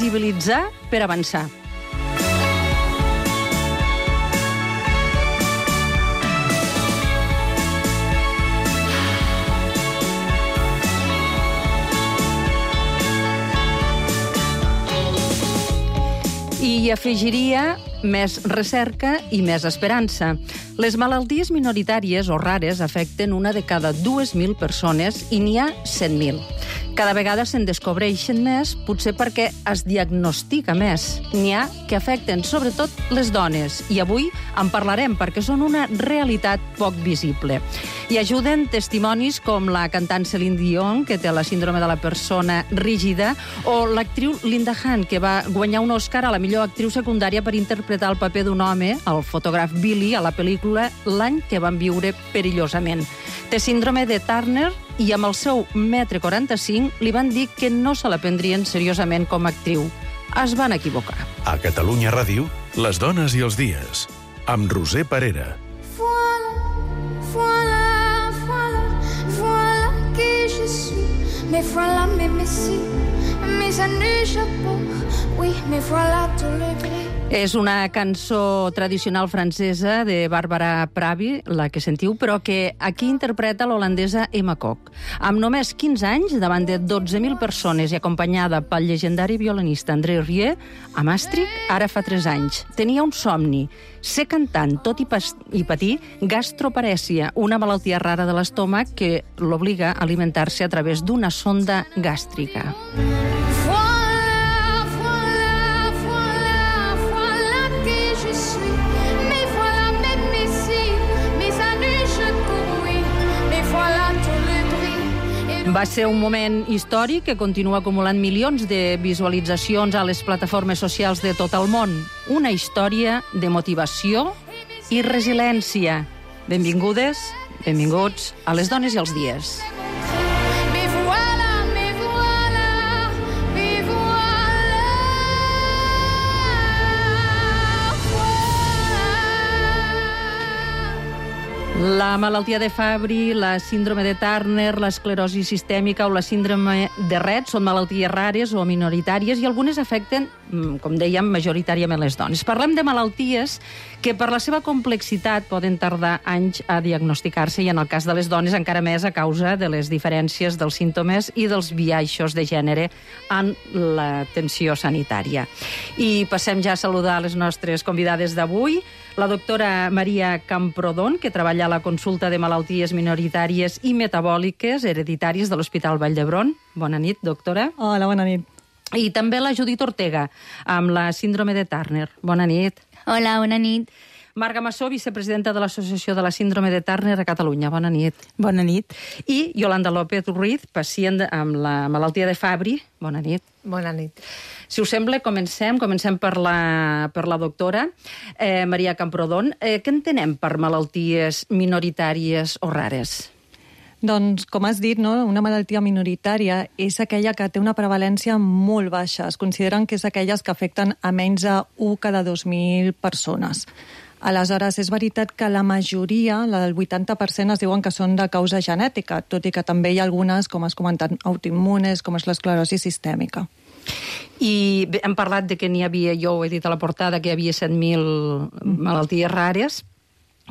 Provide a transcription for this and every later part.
visibilitzar per avançar. I afegiria més recerca i més esperança. Les malalties minoritàries o rares afecten una de cada 2.000 persones i n'hi ha 100.000. Cada vegada se'n descobreixen més, potser perquè es diagnostica més. N'hi ha que afecten sobretot les dones, i avui en parlarem perquè són una realitat poc visible. I ajuden testimonis com la cantant Celine Dion, que té la síndrome de la persona rígida, o l'actriu Linda Hunt, que va guanyar un Oscar a la millor actriu secundària per interpretar el paper d'un home, el fotògraf Billy, a la pel·lícula L'any que van viure perillosament. Té síndrome de Turner i amb el seu 1,45 m li van dir que no se la prendrien seriosament com a actriu. Es van equivocar. A Catalunya Ràdio, les dones i els dies, amb Roser Parera. Voilà qui je suis, mais voilà mes messieurs, mes années chapeau, oui, mais voilà tout le gris. És una cançó tradicional francesa de Barbara Pravi, la que sentiu, però que aquí interpreta l'holandesa Emma Kok. Amb només 15 anys, davant de 12.000 persones i acompanyada pel llegendari violinista André Rieu, a Maastricht, ara fa 3 anys. Tenia un somni, ser cantant, tot i patir gastroparèsia, una malaltia rara de l'estómac que l'obliga a alimentar-se a través d'una sonda gàstrica. Va ser un moment històric que continua acumulant milions de visualitzacions a les plataformes socials de tot el món. Una història de motivació i resiliència. Benvingudes, benvinguts a Les dones i els dies. La malaltia de Fabry, la síndrome de Turner, l'esclerosi sistèmica o la síndrome de Rett són malalties rares o minoritàries i algunes afecten, com dèiem, majoritàriament les dones. Parlem de malalties que per la seva complexitat poden tardar anys a diagnosticar-se i en el cas de les dones encara més a causa de les diferències dels símptomes i dels biaixos de gènere en l'atenció sanitària. I passem ja a saludar les nostres convidades d'avui. La doctora Maria Camprodon, que treballa a la consulta de malalties minoritàries i metabòliques hereditàries de l'Hospital Vall d'Hebron. Bona nit, doctora. Hola, bona nit. I també la Judit Ortega, amb la síndrome de Turner. Bona nit. Hola, bona nit. Marga Massó, vicepresidenta de l'Associació de la Síndrome de Turner a Catalunya. Bona nit. Bona nit. I Yolanda López Ruiz, pacient amb la malaltia de Fabry. Bona nit. Bona nit. Si us sembla, comencem per la doctora Maria Camprodon. Què entenem per malalties minoritàries o rares? Doncs, com has dit, no? Una malaltia minoritària és aquella que té una prevalència molt baixa. Es consideren que és aquelles que afecten a menys de 1 cada 2.000 persones. Aleshores, és veritat que la majoria, el 80%, es diuen que són de causa genètica, tot i que també hi ha algunes, com has comentat, autoimmunes, com és l'esclerosi sistèmica. I hem parlat de que n'hi havia, jo ho he dit a la portada, que hi havia 7.000 malalties rares,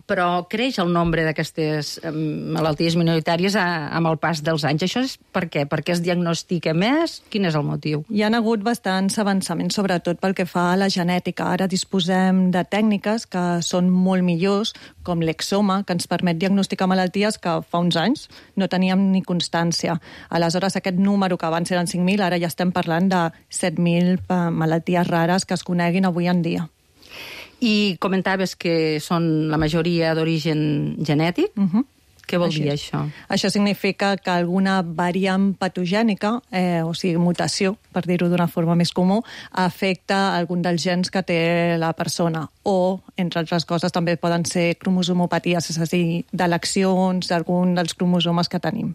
però creix el nombre d'aquestes malalties minoritàries amb el pas dels anys. Això és per què? Perquè es diagnostica més? Quin és el motiu? Hi ha hagut bastants avançaments, sobretot pel que fa a la genètica. Ara disposem de tècniques que són molt millors, com l'exoma, que ens permet diagnosticar malalties que fa uns anys no teníem ni constància. Aleshores, aquest número que abans eren 5.000, ara ja estem parlant de 7.000 malalties rares que es coneguin avui en dia. I comentaves que són la majoria d'origen genètic. Què vol dir això? Això significa que alguna variant patogènica, o sigui, mutació, per dir-ho d'una forma més comú, afecta algun dels gens que té la persona. O, entre altres coses, també poden ser cromosomopaties, és a dir, d'eleccions d'algun dels cromosomes que tenim.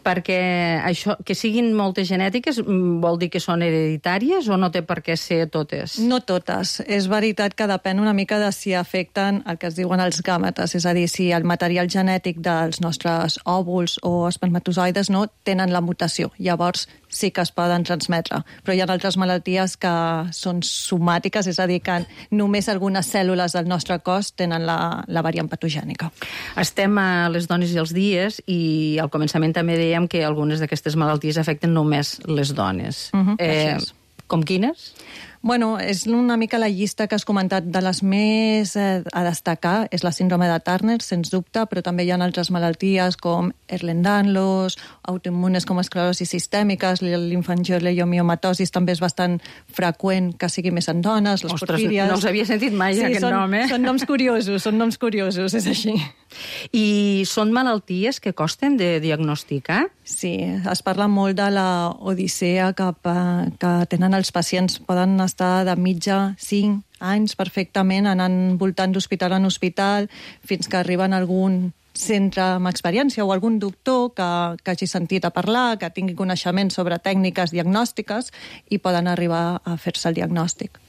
Perquè això, que siguin moltes genètiques vol dir que són hereditàries o no té per què ser totes? No totes. És veritat que depèn una mica de si afecten el que es diuen els gàmetes, és a dir, si el material genètic dels nostres òvuls o espermatozoides no tenen la mutació. Llavors sí que es poden transmetre, però hi ha altres malalties que són somàtiques, és a dir, que només algunes cèl·lules del nostre cos tenen la variant patogènica. Estem a les dones i els dies i al començament també dèiem que algunes d'aquestes malalties afecten només les dones. Com quines? Bueno, és una mica la llista que has comentat de les més a destacar. És la síndrome de Turner, sens dubte, però també hi ha altres malalties com Ehlers-Danlos, autoimmunes com esclerosi sistèmiques, l'infangioleiomiomatòsis també és bastant freqüent que sigui més en dones, les porfíries... No els havia sentit mai, aquest nom, eh? Són noms curiosos, és així. I són malalties que costen de diagnosticar? Sí, es parla molt de la odissea que tenen els pacients. Poden estar de mitja 5 anys perfectament anant voltant d'hospital en hospital fins que arriben a algun centre amb experiència o algun doctor que hagi sentit a parlar, que tingui coneixement sobre tècniques diagnòstiques i poden arribar a fer-se el diagnòstic.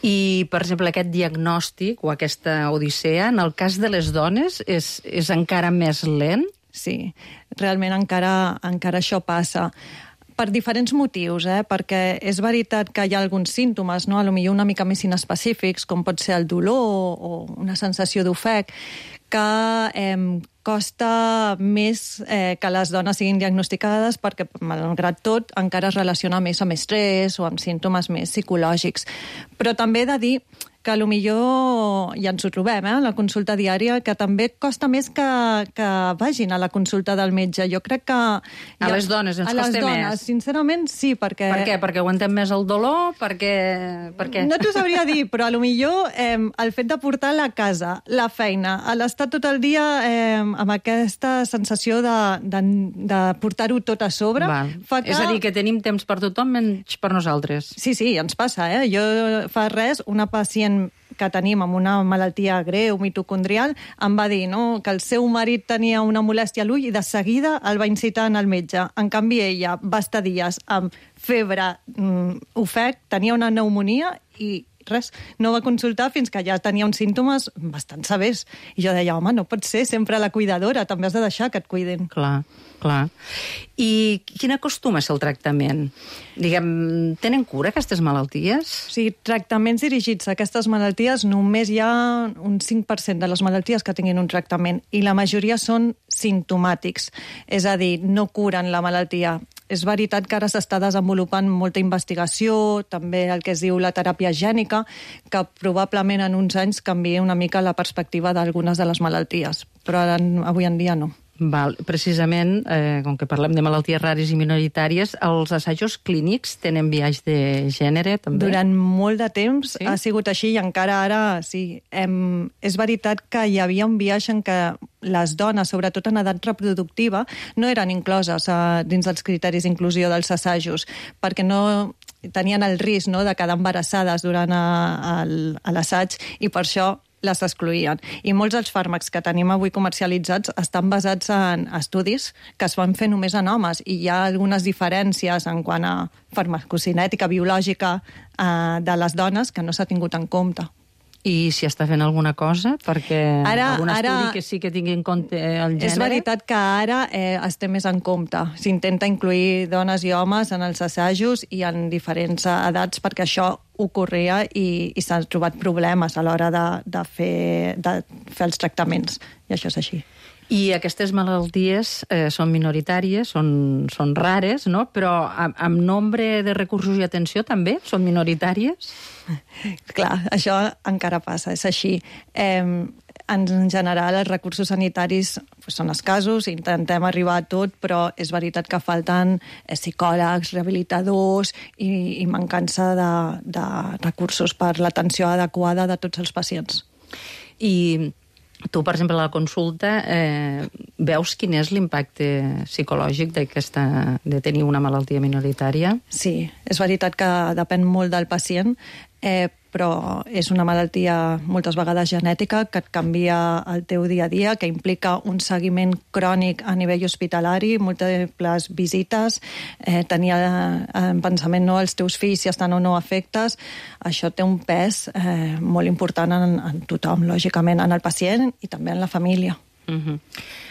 I, per exemple, aquest diagnòstic o aquesta odissea, en el cas de les dones, és encara més lent? Sí, realment encara això passa. Per diferents motius, perquè és veritat que hi ha alguns símptomes, no? Potser una mica més inespecífics, com pot ser el dolor o una sensació d'ofec, que costa més que les dones siguin diagnosticades perquè, malgrat tot, encara es relaciona més amb estrès o amb símptomes més psicològics. Però també he de dir que potser ja ens ho trobem, a la consulta diària, que també costa més que vagin a la consulta del metge. Jo crec que... A les dones ens costa més. A les dones, sincerament, sí, perquè... Per què? Perquè aguantem més el dolor? Per què? No t'ho sabria dir, però potser el fet de portar la casa, la feina, l'estar tot el dia amb aquesta sensació de portar-ho tot a sobre... Fa que... És a dir, que tenim temps per tothom menys per nosaltres. Sí, ens passa, Jo fa res, una pacient que tenim amb una malaltia greu, mitocondrial, em va dir que el seu marit tenia una molèstia a l'ull i de seguida el va incitar al metge. En canvi, ella va estar dies amb febre, ofec, tenia una pneumonia i res, no va consultar fins que ja tenia uns símptomes bastant severs. I jo deia, home, no pot ser sempre la cuidadora, també has de deixar que et cuidin. Clar. I quin acostuma a ser el tractament? Tenen cura aquestes malalties? Sí, tractaments dirigits a aquestes malalties només hi ha un 5% de les malalties que tinguin un tractament i la majoria són simptomàtics, és a dir, no curen la malaltia. És veritat que ara s'està desenvolupant molta investigació, també el que es diu la teràpia gènica, que probablement en uns anys canvia una mica la perspectiva d'algunes de les malalties, però avui en dia no. Precisament, com que parlem de malalties rares i minoritàries, els assajos clínics tenen biaix de gènere, també? Durant molt de temps ha sigut així i encara ara sí. És veritat que hi havia un biaix en què les dones, sobretot en edat reproductiva, no eren incloses dins dels criteris d'inclusió dels assajos, perquè no tenien el risc de quedar embarassades durant l'assaig i per això les excloïen. I molts dels fàrmacs que tenim avui comercialitzats estan basats en estudis que es van fer només en homes i hi ha algunes diferències en quant a farmacocinètica biològica de les dones que no s'ha tingut en compte. I si està fent alguna cosa? Perquè algun estudi que sí que tingui en compte el gènere? És veritat que ara es té més en compte. S'intenta incluir dones i homes en els assajos i en diferents edats perquè això ocorria i s'han trobat problemes a l'hora de fer els tractaments. I això és així. I aquestes malalties són minoritàries, són rares, no? Però amb nombre de recursos i atenció també són minoritàries? Clar, això encara passa, és així. En general, els recursos sanitaris són escassos, intentem arribar a tot, però és veritat que falten psicòlegs, rehabilitadors i mancança de recursos per l'atenció adequada de tots els pacients. I tu, per exemple, a la consulta, veus quin és l'impacte psicològic de tenir una malaltia minoritària? Sí, és veritat que depèn molt del pacient, però és una malaltia moltes vegades genètica que et canvia el teu dia a dia, que implica un seguiment crònic a nivell hospitalari, múltiples visites, tenir en pensament els teus fills si estan o no afectes. Això té un pes molt important en tothom, lògicament, en el pacient i també en la família.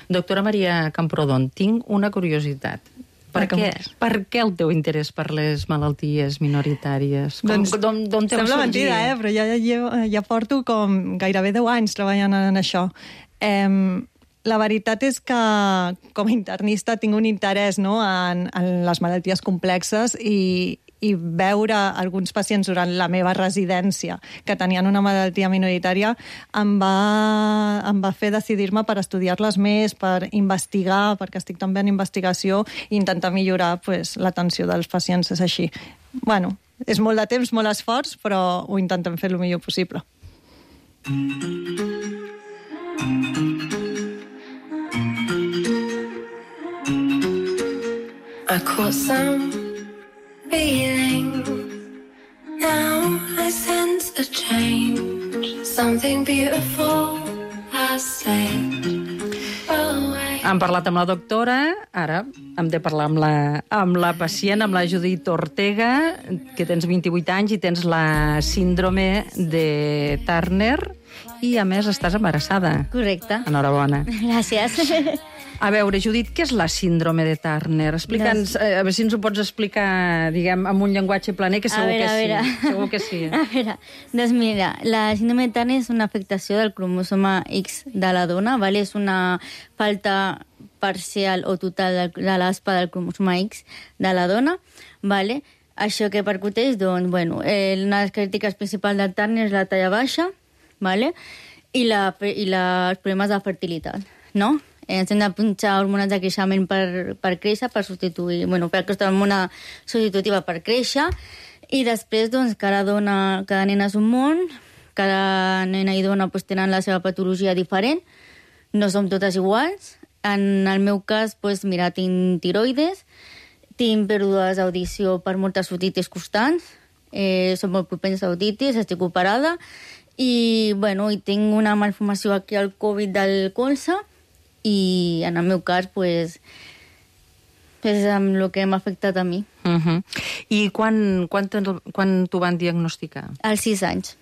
Doctora Maria Camprodon, tinc una curiositat. Per què el teu interès per les malalties minoritàries? D'on te va sorgir? Sembla mentida, però ja porto com gairebé 10 anys treballant en això. La veritat és que com a internista tinc un interès, no, en les malalties complexes i veure alguns pacients durant la meva residència que tenien una malaltia minoritària em va fer decidir-me per estudiar-les més, per investigar, perquè estic també en investigació, i intentar millorar l'atenció dels pacients. És així. Bueno, és molt de temps, molt esforç, però ho intentem fer el millor possible. I caught some feeling. Now I sense a change. Something beautiful has slipped away. Hem parlat amb la doctora, ara hem de parlar amb la pacient, amb la Judit Ortega, que tens 28 anys i tens la síndrome de Turner i, a més, estàs embarassada. Correcte. Enhorabona. Gràcies. A veure, Judit, què és la síndrome de Turner? Explica'ns, a veure si ens ho pots explicar, diguem, amb un llenguatge planer, que segur que sí. Segur que sí. A veure, doncs mira, la síndrome de Turner és una afectació del cromosoma X de la dona, ¿vale? És una falta parcial o total de l'aspa del cromosoma X de la dona, ¿vale? Això que percuteix, doncs, bueno, una de les característiques principals del Turner és la talla baixa, ¿vale? I els problemes de fertilitat, no? Ens hem de punxar hormones de creixement per créixer, per substituir, bueno, per aquesta hormona substitutiva per créixer, i després, doncs, cada nena és un món, cada nena i dona pues, tenen la seva patologia diferent, no som totes iguals. En el meu cas, pues, mira, tinc tiroides, tinc pèrdues d'audició per moltes otitis constants, som molt propens a otitis, estic operada, i, bueno, i tinc una malformació aquí al Covid del colze, i en el meu cas, pues, és amb el que m'ha afectat a mi. I quan t'ho van diagnosticar? Als 6 anys.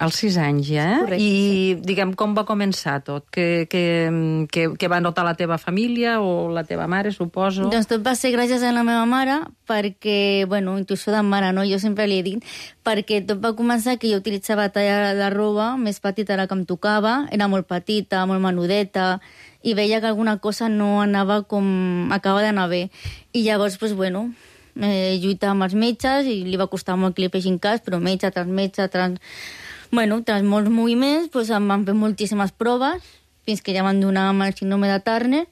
Als 6 anys, ja? Correcte. I, diguem, com va començar tot? Què va notar la teva família o la teva mare, suposo? Doncs tot va ser gràcies a la meva mare, perquè, bueno, intuïció de mare, no? Jo sempre li he dit, perquè tot va començar que jo utilitzava talla de roba més petita de la que em tocava, era molt petita, molt menudeta, i veia que alguna cosa no anava com acaba d'anar bé. I llavors, doncs, bueno, lluitava amb els metges i li va costar molt que li fessin cas, però metge tras metge, tras molts moviments, doncs em van fer moltíssimes proves, fins que ja van donar amb el síndrome de Turner,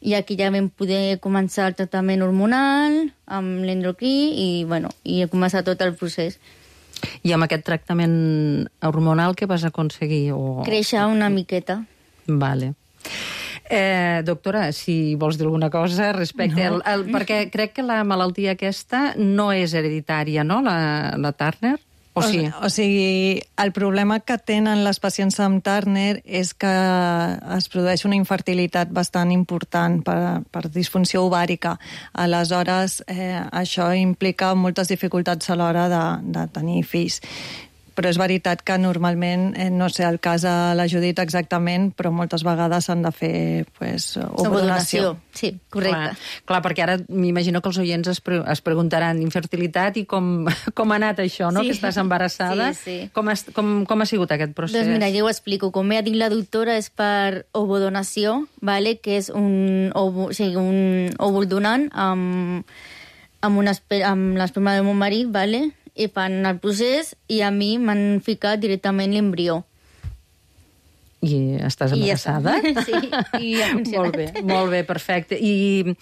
i aquí ja vam poder començar el tractament hormonal, amb l'endocrí, i, bueno, i he començat tot el procés. I amb aquest tractament hormonal què vas aconseguir? Créixer una miqueta. Vale. Doctora, si vols dir alguna cosa respecte... No. Perquè crec que la malaltia aquesta no és hereditària, no?, la Turner? O sí? O sigui, el problema que tenen les pacients amb Turner és que es produeix una infertilitat bastant important per disfunció ovàrica. Aleshores, això implica moltes dificultats a l'hora de tenir fills. Però és veritat que normalment, no sé el cas de la Judit exactament, però moltes vegades s'han de fer ovodonació. Sí, correcte. Clar, perquè ara m'imagino que els oients es preguntaran infertilitat i com ha anat això, no? Sí. Que estàs embarassada. Sí. Com ha sigut aquest procés? Doncs mira, jo ho explico. Com ja ha dit la doctora, és per ovodonació, vale? Que és un òvul donant amb l'esperma del meu marit, vale? I fan el procés i a mi m'han ficat directament l'embrió. I estàs embarassada? Sí, i ha funcionat. Molt bé, perfecte. I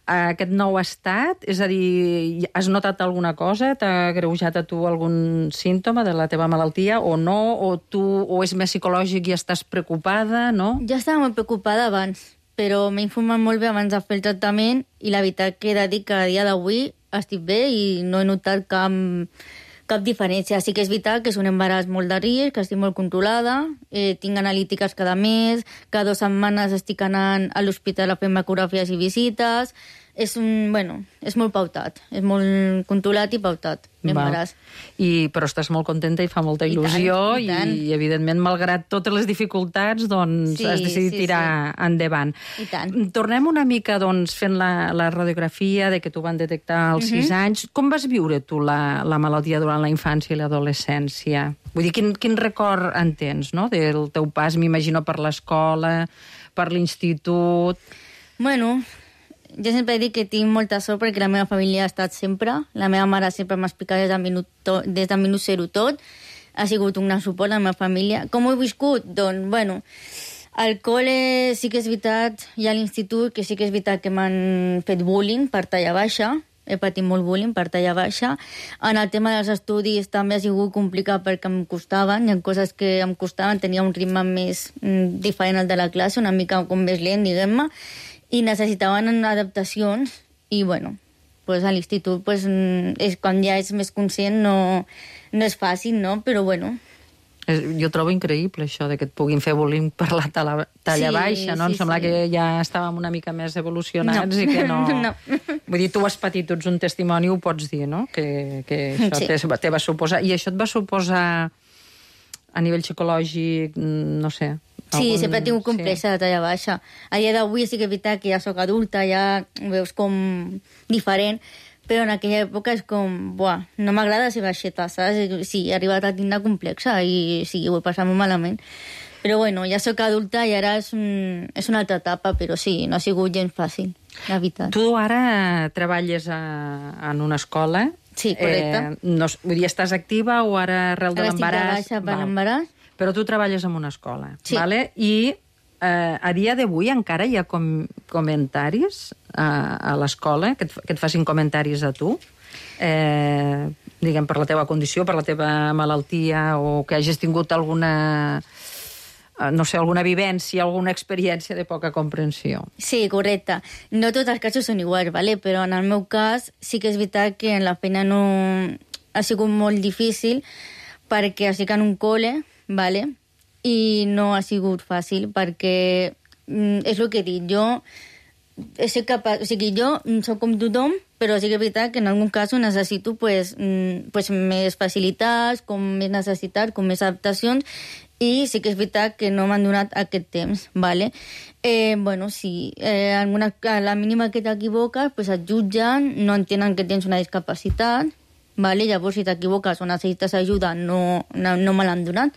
aquest nou estat, és a dir, has notat alguna cosa? T'ha greujat a tu algun símptoma de la teva malaltia o no? O és més psicològic i estàs preocupada, no? Jo estava molt preocupada abans, però m'he informat molt bé abans de fer el tractament i la veritat que he de dir que a dia d'avui estic bé i no he notat cap diferència. Sí que és veritat que és un embaràs molt de risc, que estic molt controlada, tinc analítiques cada mes, cada 2 setmanes estic anant a l'hospital a fer ecogràfies i visites, és molt pautat, és molt controlat i pautat, l'embaràs. Però estàs molt contenta i fa molta il·lusió i evidentment, malgrat totes les dificultats, doncs has decidit tirar endavant. I tant. Tornem una mica, doncs, fent la radiografia de que t'ho van detectar als 6 anys. Com vas viure tu la malaltia durant la infància i l'adolescència? Vull dir, quin record en tens, no?, del teu pas, m'imagino, per l'escola, per l'institut... Bueno, jo sempre dic que tinc molta sort perquè la meva família ha estat sempre. La meva mare sempre m'ha explicat des del minut zero tot. Ha sigut un gran suport la meva família. Com ho he viscut? Doncs, bueno, al col·le sí que és veritat, i a l'institut, que sí que és veritat que m'han fet bullying per talla baixa. He patit molt bullying per talla baixa. En el tema dels estudis també ha sigut complicat perquè em costaven, hi ha coses que em costaven, tenia un ritme més diferent al de la classe, una mica com més lent, diguem-ne, i necessitaven adaptacions, i bueno, pues a l'institut pues, quan ja ets més conscient no és fàcil, no? Però bueno... Jo trobo increïble això de que et puguin fer bullying per la talla baixa, no? Em sembla que ja estàvem una mica més evolucionats i que no... Vull dir, tu has patit, tu ets un testimoni, ho pots dir, no? Que això te va suposar... I això et va suposar a nivell psicològic, no sé... Sí, sempre he tingut complexa de talla baixa. A dia d'avui sí que és veritat que ja sóc adulta, ja ho veus com diferent, però en aquella època és com, buah, no m'agrada ser baixeta, saps? Sí, he arribat a tindre complexa i sí, ho he passat molt malament. Però bueno, ja sóc adulta i ara és una altra etapa, però sí, no ha sigut gens fàcil, la veritat. Tu ara treballes en una escola. Sí, correcte. Vull dir, estàs activa o ara arrel de l'embaràs? Ara estic de baixa per l'embaràs. Però tu treballes en una escola, sí. Vale? I a dia d'avui encara hi ha comentaris a l'escola, que et facin comentaris a tu, diguem, per la teva condició, per la teva malaltia, o que hagis tingut alguna, no sé, alguna vivència, alguna experiència de poca comprensió. Sí, correcte. No tots els casos són iguals, ¿vale? Però en el meu cas sí que és veritat que en la feina no ha sigut molt difícil perquè estic en un col·le, ¿vale? I no ha sigut fàcil perquè és el que he dit, jo soc capaç, o sigui, jo soc com tothom, però sí que és veritat que en algun cas necessito pues, més facilitats, com més necessitats, com més adaptacions, i sí que és veritat que no m'han donat aquest temps, ¿vale? Bueno, sí, a la mínima que t'equivoques, pues et jutgen, no entenen que tens una discapacitat, ¿vale? Llavors, si t'equivoques o necessites ajuda, no me l'han donat,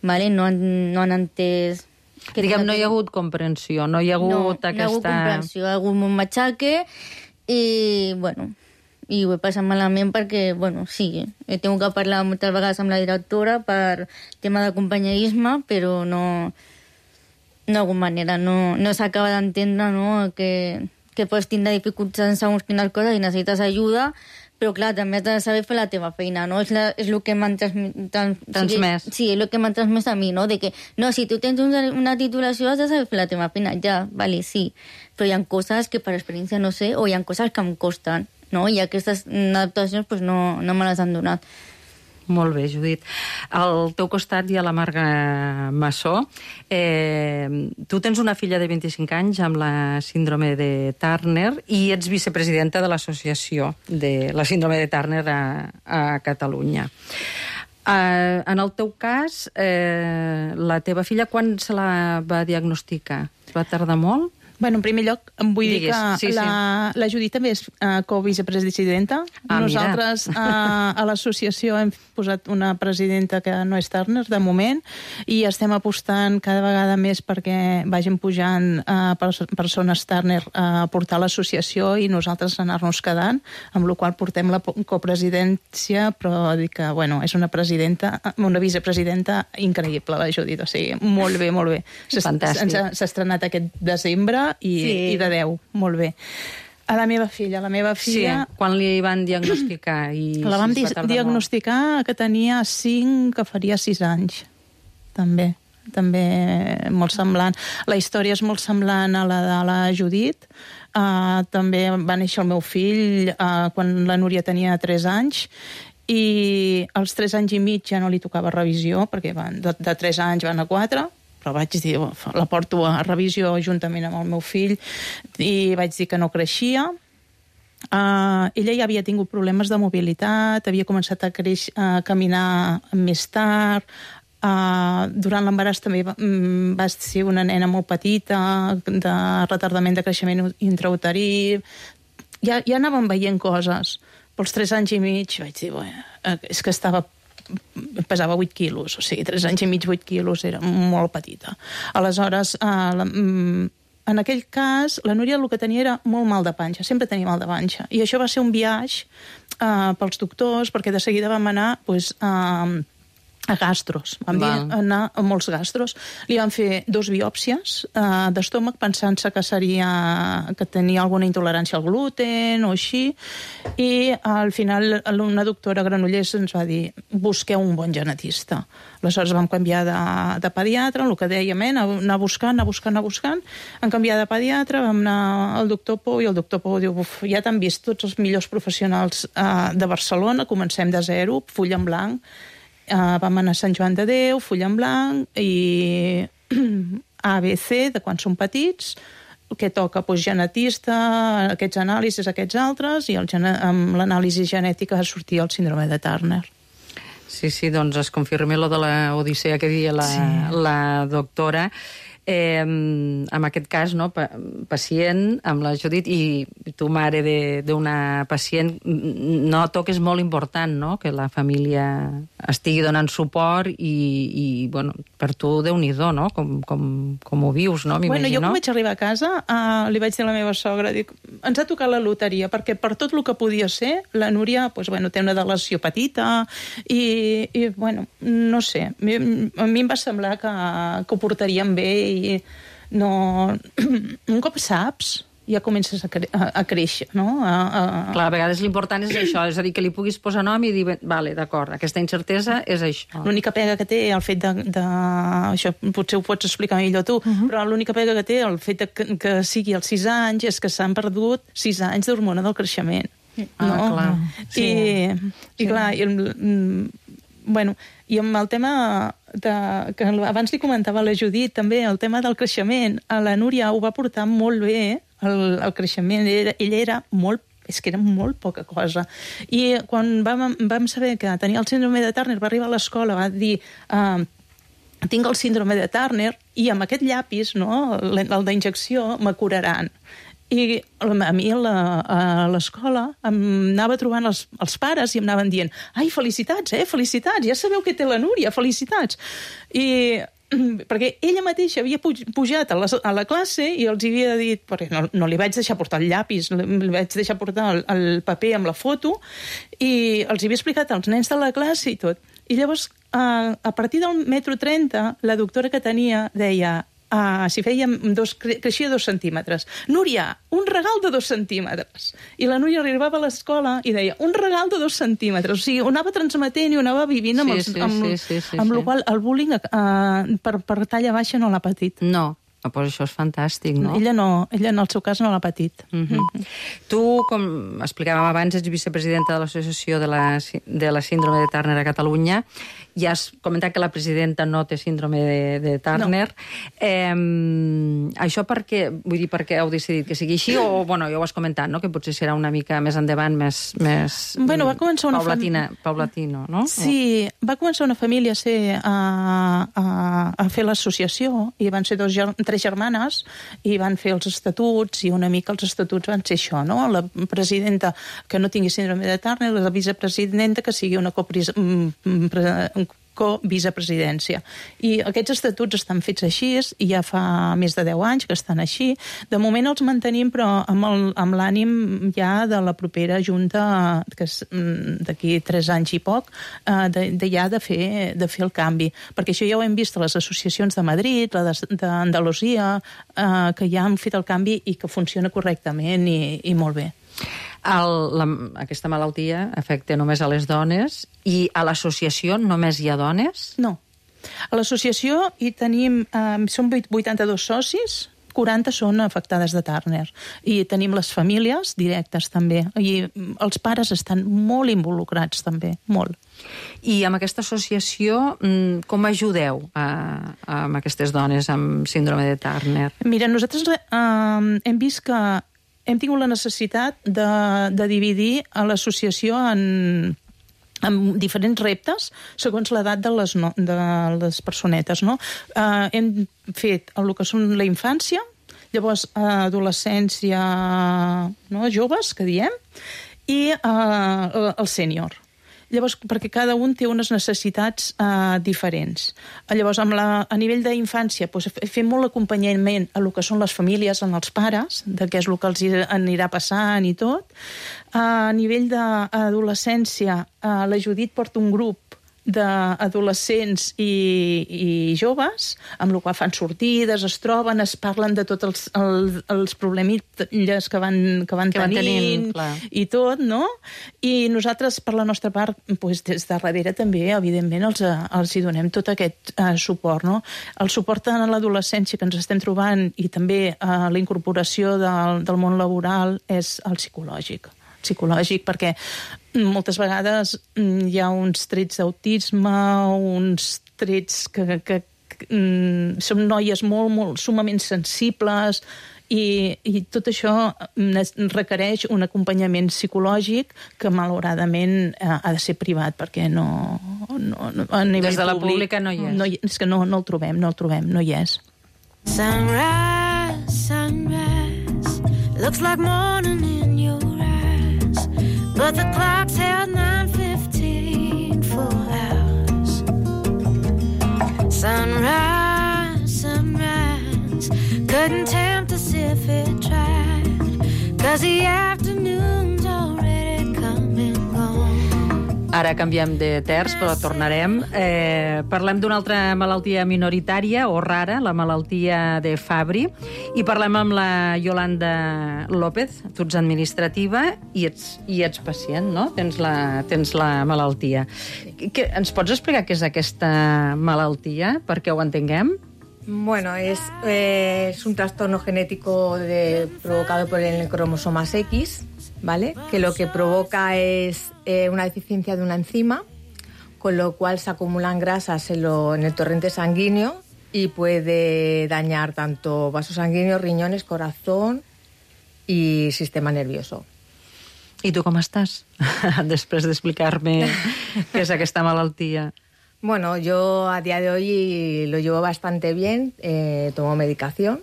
¿vale? No han entès... Diguem, no hi ha hagut comprensió, no hi ha hagut aquesta... No hi ha hagut comprensió, hi ha hagut un matxaque i, bueno, i ho he passat malament perquè, bueno, sí, he tingut que parlar moltes vegades amb la directora per tema de companyerisme, però no d'alguna manera, no s'acaba d'entendre, no?, que pots tindre dificultats en segons quines coses i necessites ajuda, però clar, també has de saber fer la teva feina, no? És el que m'han transmès. Sí, és el que m'han transmès a mi, no? De que, no, si tu tens una titulació has de saber fer la teva feina, ja, vale, sí, però hi ha coses que per experiència no sé, o hi ha coses que em costen, no? I aquestes adaptacions pues, no me les han donat. Molt bé, Judit. Al teu costat hi ha la Marga Massó. Tu tens una filla de 25 anys amb la síndrome de Turner i ets vicepresidenta de l'associació de la síndrome de Turner a Catalunya. En el teu cas, la teva filla, quan se la va diagnosticar? Va tardar molt? Bueno, en primer lloc, em vull dir que la Judit també és co-vicepresidenta. Nosaltres a l'associació hem posat una presidenta que no és Turner, de moment, i estem apostant cada vegada més perquè vagin pujant persones Turner a portar l'associació i nosaltres anar-nos quedant, amb la qual portem la copresidència, però dic que, bueno, és una vicepresidenta increïble, la Judit, o sigui, molt bé, molt bé. Fantàstic. S'ha estrenat aquest desembre i de 10, molt bé. A la meva filla... Sí, quan li van diagnosticar? La vam diagnosticar que tenia 5, que faria 6 anys. També molt semblant. La història és molt semblant a la de la Judit. També va néixer el meu fill quan la Núria tenia 3 anys i als 3 anys i mig ja no li tocava revisió, perquè de 3 anys van a 4, però vaig dir, la porto a revisió juntament amb el meu fill i vaig dir que no creixia ella ja havia tingut problemes de mobilitat, havia començat a caminar més tard, durant l'embaràs també va ser una nena molt petita, de retardament de creixement intrauterí, ja anàvem veient coses. Pels 3 anys i mig vaig dir, és que pesava 8 quilos, o sigui, 3 anys i mig, 8 quilos, era molt petita. Aleshores, en aquell cas, la Núria el que tenia era molt mal de panxa, sempre tenia mal de panxa. I això va ser un viatge pels doctors, perquè de seguida vam anar a gastros. Vam anar a molts gastros. Li van fer 2 biòpsies d'estómac pensant-se que tenia alguna intolerància al gluten o així, i al final una doctora a Granollers ens va dir busqueu un bon genetista. Aleshores vam canviar de pediatre, el que dèiem, anar buscant, vam canviar de pediatre, vam anar al doctor Pou, i el doctor Pou diu, ja t'han vist tots els millors professionals de Barcelona, comencem de zero, full en blanc. Vam anar a Sant Joan de Déu, full en blanc, i ABC, de quan són petits, que toca genetista, aquests anàlisis, aquests altres, i amb l'anàlisi genètica sortia el síndrome de Turner. Sí, doncs es confirma lo de la odissea que deia la doctora. En aquest cas, pacient amb la Judit i tu, mare d'una pacient, noto que és molt important que la família estigui donant suport i per tu, Déu-n'hi-do, com ho vius, m'imagino. Jo quan vaig arribar a casa li vaig dir a la meva sogra, dic, ens ha tocat la loteria, perquè per tot el que podia ser, la Núria té una deleció petita i no sé, a mi em va semblar que ho portaríem bé, i un cop saps ja comences a créixer, no? Clar, a vegades l'important és això, és a dir, que li puguis posar nom i dir, vale, d'acord, aquesta incertesa és això. L'única pega que té el fet això potser ho pots explicar millor tu, però l'única pega que té el fet que sigui als 6 anys és que s'han perdut 6 anys d'hormona del creixement. Clar. I clar, i amb el tema que abans li comentava a la Judit, també el tema del creixement, a la Núria ho va portar molt bé, el creixement. Ella era molt poca cosa. I quan vam saber que tenia el síndrome de Turner, va arribar a l'escola, va dir tinc el síndrome de Turner i amb aquest llapis, el d'injecció, me curaran. I a mi a l'escola em anava trobant els pares i em anaven dient, ai, felicitats, felicitats, ja sabeu què té la Núria, felicitats. I perquè ella mateixa havia pujat a la classe i els havia dit, perquè no li vaig deixar portar el llapis, li vaig deixar portar el paper amb la foto, i els havia explicat als nens de la classe i tot. I llavors, a partir del 1,30 m, la doctora que tenia deia, si fèiem creixia 2 centímetres. Núria, un regal de 2 centímetres. I la Núria arribava a l'escola i deia, un regal de 2 centímetres. O sigui, ho anava transmetent i ho anava vivint amb el qual el bullying per talla baixa no l'ha patit. No. Pues això és fantàstic, no? Ella en el seu cas no l'ha patit. Tu, com explicàvem abans, ets vicepresidenta de l'Associació de la Síndrome de Turner a Catalunya. Ja has comentat que la presidenta no té síndrome de Turner. Això per què heu decidit que sigui així? O, ja ho has comentat, no? Que potser serà una mica més endavant, més paulatino, no? Sí, va començar una família a fer l'associació, i van ser 3 germanes, i van fer els estatuts, i una mica els estatuts van ser això, no? La presidenta que no tingui síndrome de Turner, la vicepresidenta que sigui una co-vicepresidència. I aquests estatuts estan fets així, i ja fa més de 10 anys que estan així. De moment els mantenim, però amb l'ànim ja de la propera junta, que és d'aquí 3 anys i poc, de fer el canvi. Perquè això ja ho hem vist a les associacions de Madrid, la d'Andalusia, que ja han fet el canvi i que funciona correctament i molt bé. Aquesta malaltia afecta només a les dones, i a l'associació només hi ha dones? No. A l'associació hi tenim, som 82 socis, 40 són afectades de Turner. I tenim les famílies directes també. I els pares estan molt involucrats també, molt. I amb aquesta associació, com ajudeu amb aquestes dones amb síndrome de Turner? Mira, nosaltres hem vist que hem tingut la necessitat de dividir a l'associació amb diferents reptes segons l'edat de les personetes, no? Hem fet el que són la infància, llavors adolescència, no? Joves, que diem, i el sènior. Llavors, perquè cada un té unes necessitats diferents. Llavors, a nivell d'infància, doncs, fem molt acompanyament a el que són les famílies, en els pares, de què és el que els anirà passant i tot. A nivell d'adolescència, la Judit porta un grup d'adolescents i joves, amb el qual fan sortides, es troben, es parlen de tots els problemilles que van tenint i tot, no? I nosaltres, per la nostra part, doncs, des de darrere també, evidentment, els hi donem tot aquest suport, no? El suport a l'adolescència que ens estem trobant i també la incorporació del món laboral és el psicològic, perquè moltes vegades hi ha uns trets d'autisme, uns trets que són noies molt sumament sensibles i tot això requereix un acompanyament psicològic que malauradament ha de ser privat perquè no a nivell des de la pública no hi és. És que no el trobem, no hi és. Sunrise, sunrise, looks like morning in your eyes, but the clock's held 9:15 for hours. Sunrise, sunrise, couldn't tempt us if it tried, 'cause the afternoon's already come and gone. Ara canviem de terç, però tornarem. Parlem d'una altra malaltia minoritària o rara, la malaltia de Fabry, i parlem amb la Yolanda López. Tu ets administrativa i ets pacient, no? Tens la malaltia. Ens pots explicar què és aquesta malaltia, perquè ho entenguem? Bueno, es un trastorno genético provocado por el cromosoma X, ¿vale? Que lo que provoca es una deficiencia de una enzima, con lo cual se acumulan grasas en el torrente sanguíneo y puede dañar tanto vasos sanguíneos, riñones, corazón y sistema nervioso. I tu com estàs? Després d'explicar-me què és aquesta malaltia. Bueno, yo a día de hoy lo llevo bastante bien, tomo medicación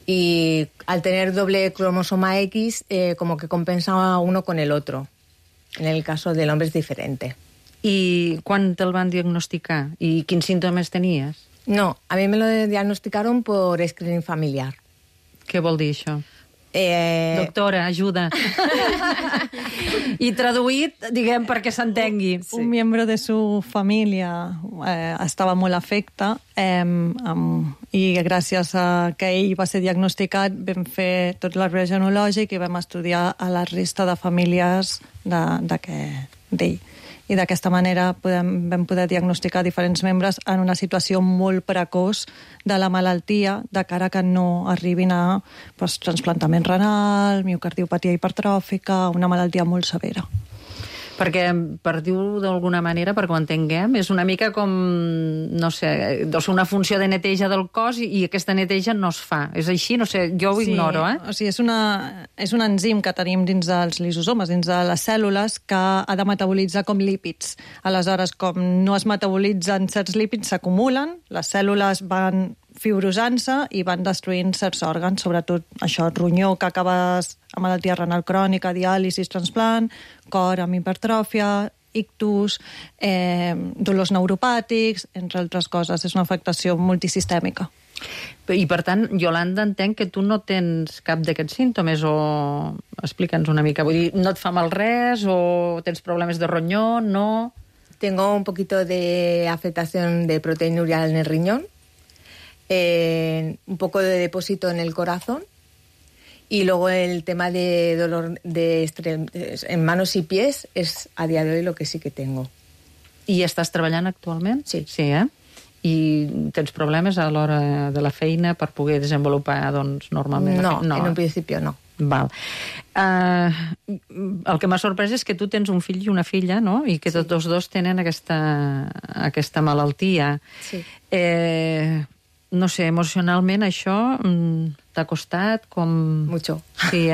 y al tener doble cromosoma X como que compensa uno con el otro. En el caso del hombre es diferente. I quan te'l van diagnosticar? I quins símptomes tenies? No, a mí me lo diagnosticaron por screening familiar. Què vol dir això? Doctora, ajuda. I traduït, diguem, perquè s'entengui. Sí. Un membre de su família estava molt afecte i gràcies a que ell va ser diagnosticat vam fer tot l'arbre genològic i vam estudiar a la resta de famílies d'ell. I d'aquesta manera vam poder diagnosticar diferents membres en una situació molt precoç de la malaltia, de cara que no arribin a trasplantament renal, miocardiopatia hipertròfica, una malaltia molt severa. Perquè, per dir-ho d'alguna manera, perquè ho entenguem, és una mica com, no sé, una funció de neteja del cos i aquesta neteja no es fa. És així? No sé, jo ho ignoro, eh? O sigui, és un enzim que tenim dins dels lisosomes, dins de les cèl·lules, que ha de metabolitzar com lípids. Aleshores, com no es metabolitzen certs lípids, s'acumulen, les cèl·lules van fibrosant-se i van destruint certs òrgans, sobretot això, ronyó, que acabes amb malaltia renal crònica, diàlisis, transplant, cor amb hipertròfia, ictus, dolors neuropàtics, entre altres coses. És una afectació multisistèmica. I, per tant, Yolanda, entenc que tu no tens cap d'aquests símptomes, o explica'ns una mica. Vull dir, no et fa mal res, o tens problemes de ronyó, no? Tengo un poquito de afectación de proteinuria en el riñón, un poco de depósito en el corazón y luego el tema de dolor en manos y pies es a día de hoy lo que sí que tengo. I estàs treballant actualment? Sí. Sí, I tens problemes a l'hora de la feina per poder desenvolupar, doncs, normalment? No, en un principio no. Val. El que m'ha sorprès és que tu tens un fill i una filla, no? I que tots dos tenen aquesta malaltia. Sí. No sé, emocionalment això t'ha costat? Mucho. Sí,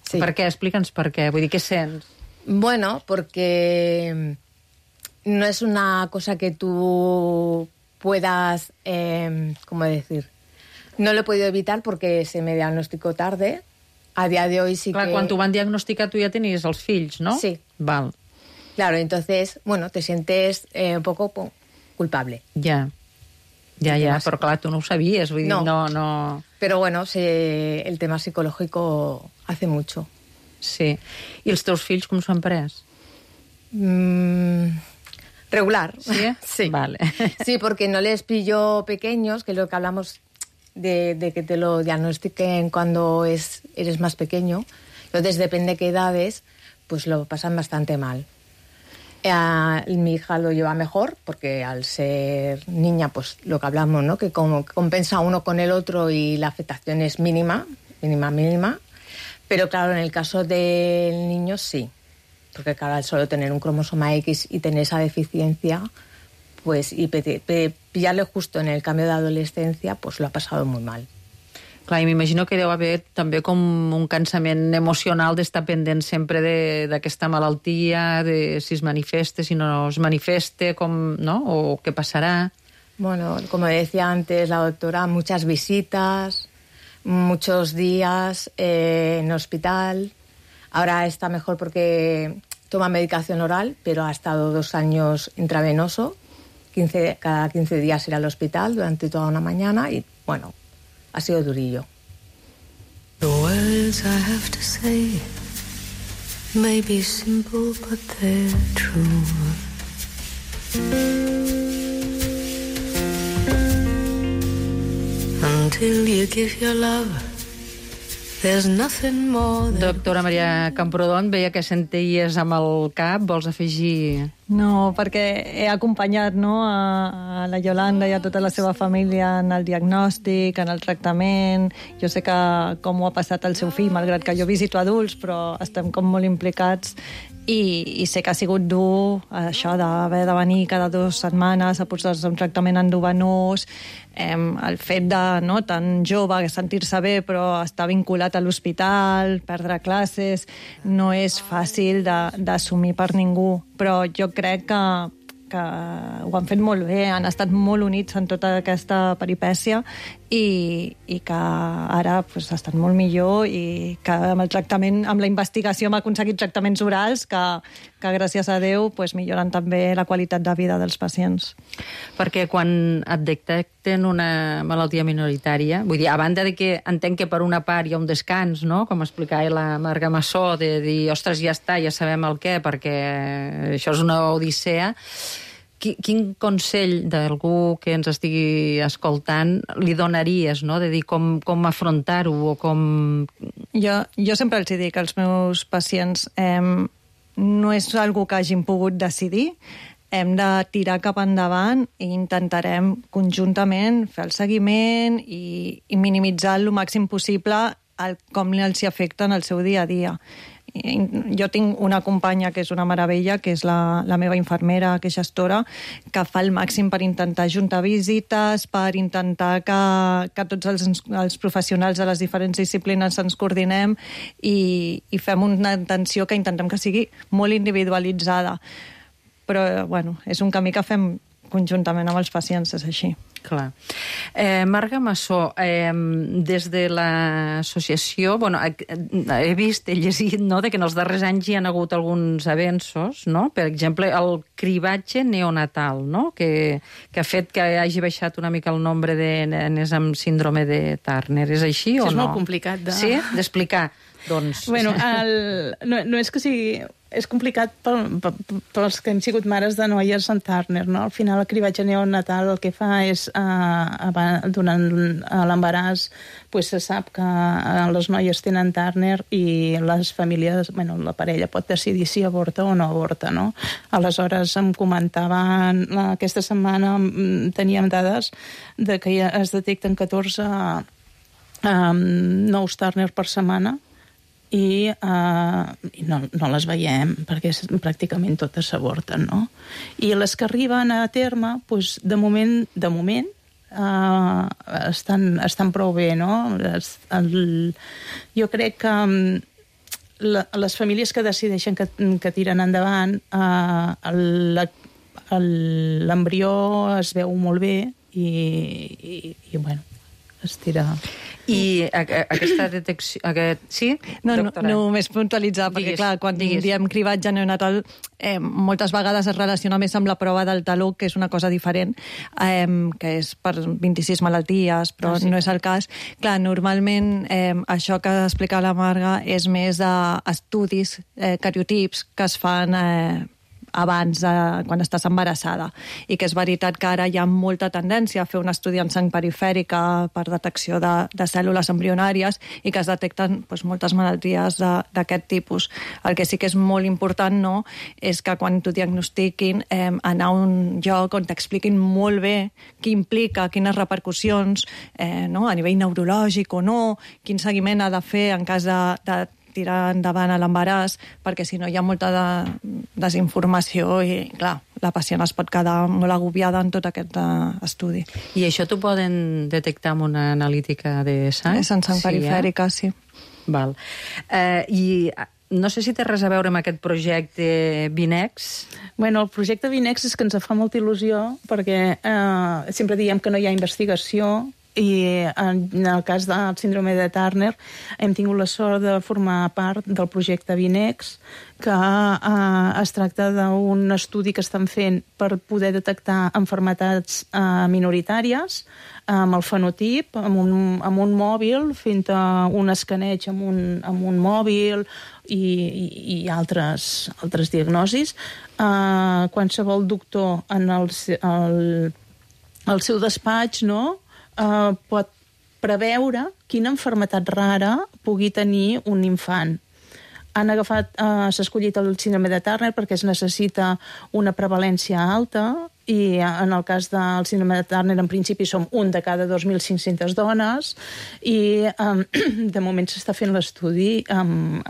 Sí. Per què? Explica'ns per què. Vull dir, què sents? Bueno, porque no es una cosa que tú puedas, ¿cómo decir? No lo he podido evitar porque se me diagnosticó tarde. A día de hoy sí Clar, que... quan t'ho van diagnosticar tu ja tenies els fills, no? Sí. Val. Claro, entonces, bueno, te sientes un poco culpable. Ja, però clar, tu no ho sabies, vull dir, no... Pero bueno, el tema psicológico hace mucho. Sí. I els teus fills com s'ho han pres? Regular. ¿Sí? Sí. Vale. Sí, porque no les pillo pequeños, que es lo que hablamos de que te lo diagnostiquen cuando eres más pequeño. Entonces, depende de qué edades, pues lo pasan bastante mal. Mi hija lo lleva mejor, porque al ser niña, pues lo que hablamos, ¿no? Que como compensa uno con el otro y la afectación es mínima. Pero claro, en el caso del niño sí. Porque claro, al solo tener un cromosoma X y tener esa deficiencia, pues y pillarle justo en el cambio de adolescencia, pues lo ha pasado muy mal. Clar, i m'imagino que deu haver també com un cansament emocional d'estar pendent sempre d'aquesta malaltia, de si es manifesta, si no es manifesta, no? O què passarà. Bueno, como decía antes la doctora, muchas visitas, muchos días en hospital. Ahora está mejor porque toma medicación oral, pero ha estado 2 años intravenoso. Cada 15 días ir al hospital durante toda una mañana y, bueno, ha sido durillo. The words I have to say may be simple, but they're true. Until you give your love, there's nothing more than... Doctora Maria Camprodon, veia que senties amb el cap, vols afegir... No, perquè he acompanyat a la Yolanda i a tota la seva família en el diagnòstic, en el tractament. Jo sé com ho ha passat el seu fill, malgrat que jo visito adults, però estem com molt implicats i sé que ha sigut dur això d'haver de venir cada 2 setmanes a posar-se un tractament endovenós, el fet de tan jove, sentir-se bé però estar vinculat a l'hospital, perdre classes, no és fàcil d'assumir per ningú, però jo crec que ho han fet molt bé, han estat molt units en tota aquesta peripècia i que ara estan molt millor i que amb el tractament, amb la investigació hem aconseguit tractaments orals que gràcies a Déu milloren també la qualitat de vida dels pacients. Perquè quan et detecten una malaltia minoritària, vull dir, a banda de que entenc que per una part hi ha un descans, no?, com explicava la Marga Massó, de dir, ostres, ja està, ja sabem el què, perquè això és una odissea. Quin consell d'algú que ens estigui escoltant li donaries, no?, de dir com afrontar-ho o com... Jo sempre els dic als meus pacients no és algo que hagin pogut decidir, hem de tirar cap endavant i intentarem conjuntament fer el seguiment i minimitzar el màxim possible com els afecta en el seu dia a dia. Jo tinc una companya que és una meravella, que és la meva infermera, que és gestora, que fa el màxim per intentar juntar visites, per intentar que tots els professionals de les diferents disciplines ens coordinem i fem una atenció que intentem que sigui molt individualitzada. Però, bueno, és un camí que fem conjuntament amb els pacients, és així. Clar. Marga Massó, des de l'associació, he vist, he llegit, de que en els darrers anys hi ha hagut alguns avenços, no? Per exemple, el cribatge neonatal, no?, que ha fet que hagi baixat una mica el nombre de nenes amb síndrome de Turner. És així o no? És molt complicat d'explicar. Doncs... Bueno, no és que sigui... És complicat pels que hem sigut mares de noies amb Turner, no? Al final el cribatge neonatal el que fa és, durant l'embaràs, se sap que les noies tenen Turner i les famílies, la parella pot decidir si avorta o no avorta, no? Aleshores em comentaven, aquesta setmana teníem dades de que es detecten 14 nous Turner per setmana, i no les veiem perquè pràcticament totes s'avorten, no? I les que arriben a terme, de moment estan prou bé, no? Jo crec que les famílies que decideixen que tiren endavant, l'embrió es veu molt bé i bueno, es tira... I aquesta detecció... Sí, doctora? No, només puntualitzar, perquè clar, quan diem cribatge neonatal, moltes vegades es relaciona més amb la prova del taló, que és una cosa diferent, que és per 26 malalties, però no és el cas. Clar, normalment això que explica la Marga és més estudis, cariotips, que es fan abans, quan estàs embarassada. I que és veritat que ara hi ha molta tendència a fer un estudi en sang perifèrica per detecció de cèl·lules embrionàries i que es detecten moltes malalties d'aquest tipus. El que sí que és molt important, no?, és que quan t'ho diagnostiquin, anar a un lloc on t'expliquin molt bé què implica, quines repercussions, no?, a nivell neurològic o no, quin seguiment ha de fer en cas de tirar endavant a l'embaràs, perquè si no hi ha molta desinformació i, clar, la pacient es pot quedar molt agobiada en tot aquest estudi. I això t'ho poden detectar amb una analítica de sang? És en sang perifèrica, sí. Val. I no sé si té res a veure amb aquest projecte Vinex. Bueno, el projecte Vinex és que ens fa molta il·lusió perquè sempre diem que no hi ha investigació i en el cas del síndrome de Turner hem tingut la sort de formar part del projecte Vinex, que es tracta d'un estudi que estan fent per poder detectar malalties minoritàries amb el fenotip, amb un mòbil, fent un escaneig amb un mòbil i altres diagnosis. Qualsevol doctor en el seu despatx, no?, pot preveure quina malaltia rara pugui tenir un infant. S'ha escollit el síndrome de Turner perquè es necessita una prevalència alta i en el cas del síndrome de Turner en principi som 1 de cada 2.500 dones i de moment s'està fent l'estudi amb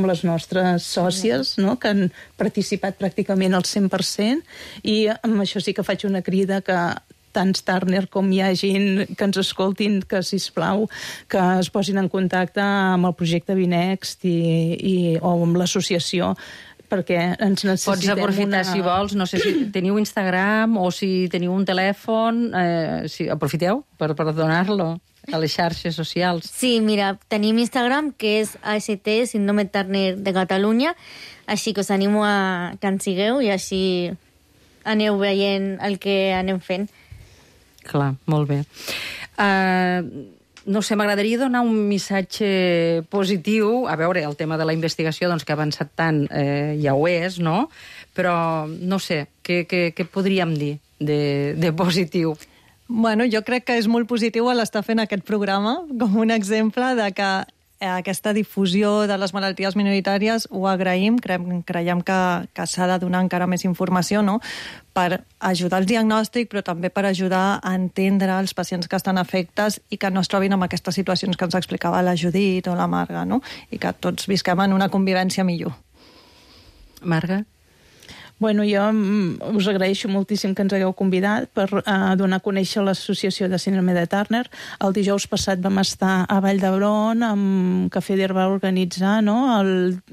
les nostres sòcies, no?, que han participat pràcticament al 100% i amb això sí que faig una crida que tants Turner com hi hagin que ens escoltin, que, sisplau, que es posin en contacte amb el projecte Vinext o amb l'associació, perquè ens necessitem Pots aprofitar, si vols, no sé si teniu Instagram o si teniu un telèfon, aprofiteu per donar-lo a les xarxes socials. Sí, mira, tenim Instagram, que és AST, Síndrome Turner de Catalunya, així que us animo a que ens sigueu i així aneu veient el que anem fent. Clar, molt bé. No sé, m'agradaria donar un missatge positiu. A veure, el tema de la investigació, doncs, que ha avançat tant, ja ho és, no? Però, no sé, què podríem dir de positiu? Bueno, jo crec que és molt positiu l'estar fent aquest programa com un exemple de que aquesta difusió de les malalties minoritàries ho agraïm, creiem que s'ha de donar encara més informació, no?, per ajudar al diagnòstic, però també per ajudar a entendre els pacients que estan afectes i que no es trobin en aquestes situacions que ens explicava la Judit o la Marga, no?, i que tots visquem en una convivència millor. Marga? Bueno, jo us agraeixo moltíssim que ens hagueu convidat per donar a conèixer l'associació de síndrome de Turner. El dijous passat vam estar a Vall d'Hebron, amb que FEDER va organitzar, no?,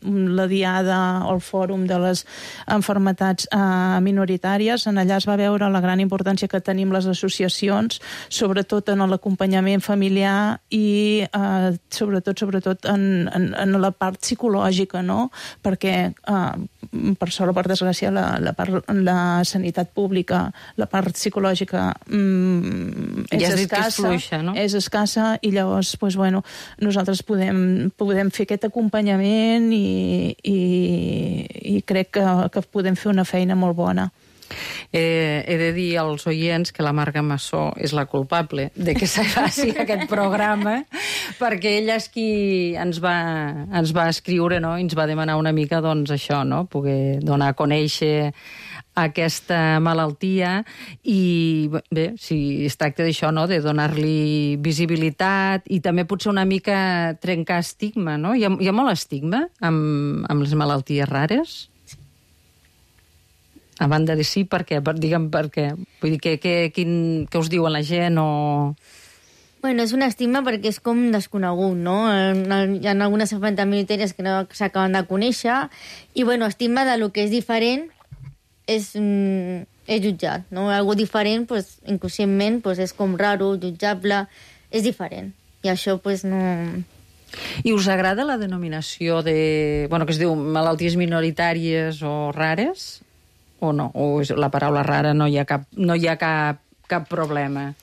la diada o el fòrum de les malalties minoritàries. En allà es va veure la gran importància que tenim les associacions, sobretot en l'acompanyament familiar i sobretot en la part psicològica, no?, perquè per sort o per desgràcia la sanitat pública, la part psicològica és escassa, no? És escassa i llavors nosaltres podem fer aquest acompanyament i crec que podem fer una feina molt bona. He de dir als oients que la Marga Massó és la culpable de que se faci aquest programa, perquè ella és qui ens va escriure, no?, i ens va demanar una mica, doncs, això, no?, poder donar a conèixer aquesta malaltia i, bé, si es tracta d'això, no?, de donar-li visibilitat i també potser una mica trencar estigma, no? Hi ha molt estigma amb les malalties rares? A banda de sí, per què? Digue'm per què. Vull dir, què us diuen la gent o... Bueno, és una estigma perquè és com desconegut, no? Hi ha algunes famílies minoritàries que no s'acaben de conèixer i, bueno, estigma de lo que és diferent és jutjat, no? Algo diferent, pues, inconscientment, pues, és com raro, jutjable, és diferent. I això, pues, no... I us agrada la denominació de... Bueno, que es diu malalties minoritàries o rares? O no? O la paraula rara no hi ha cap problema?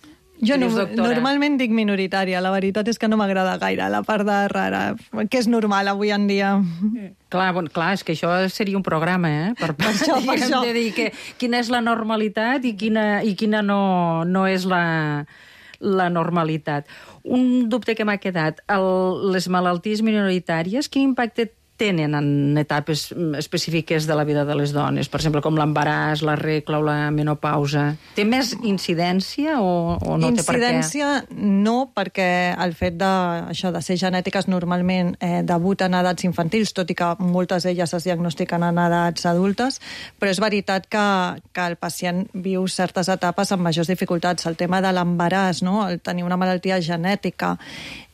Jo normalment dic minoritària. La veritat és que no m'agrada gaire la part de rara, que és normal avui en dia. Clar, és que això seria un programa, Per això. De dir quina és la normalitat i quina no és la normalitat. Un dubte que m'ha quedat. Les malalties minoritàries, quin impacte tenen en etapes específiques de la vida de les dones? Per exemple, com l'embaràs, la regla o la menopausa. Té més incidència o no té per què? Incidència no, perquè el fet de ser genètiques normalment debuten a edats infantils, tot i que moltes d'elles es diagnostiquen en edats adultes, però és veritat que el pacient viu certes etapes amb majors dificultats. El tema de l'embaràs, no? El tenir una malaltia genètica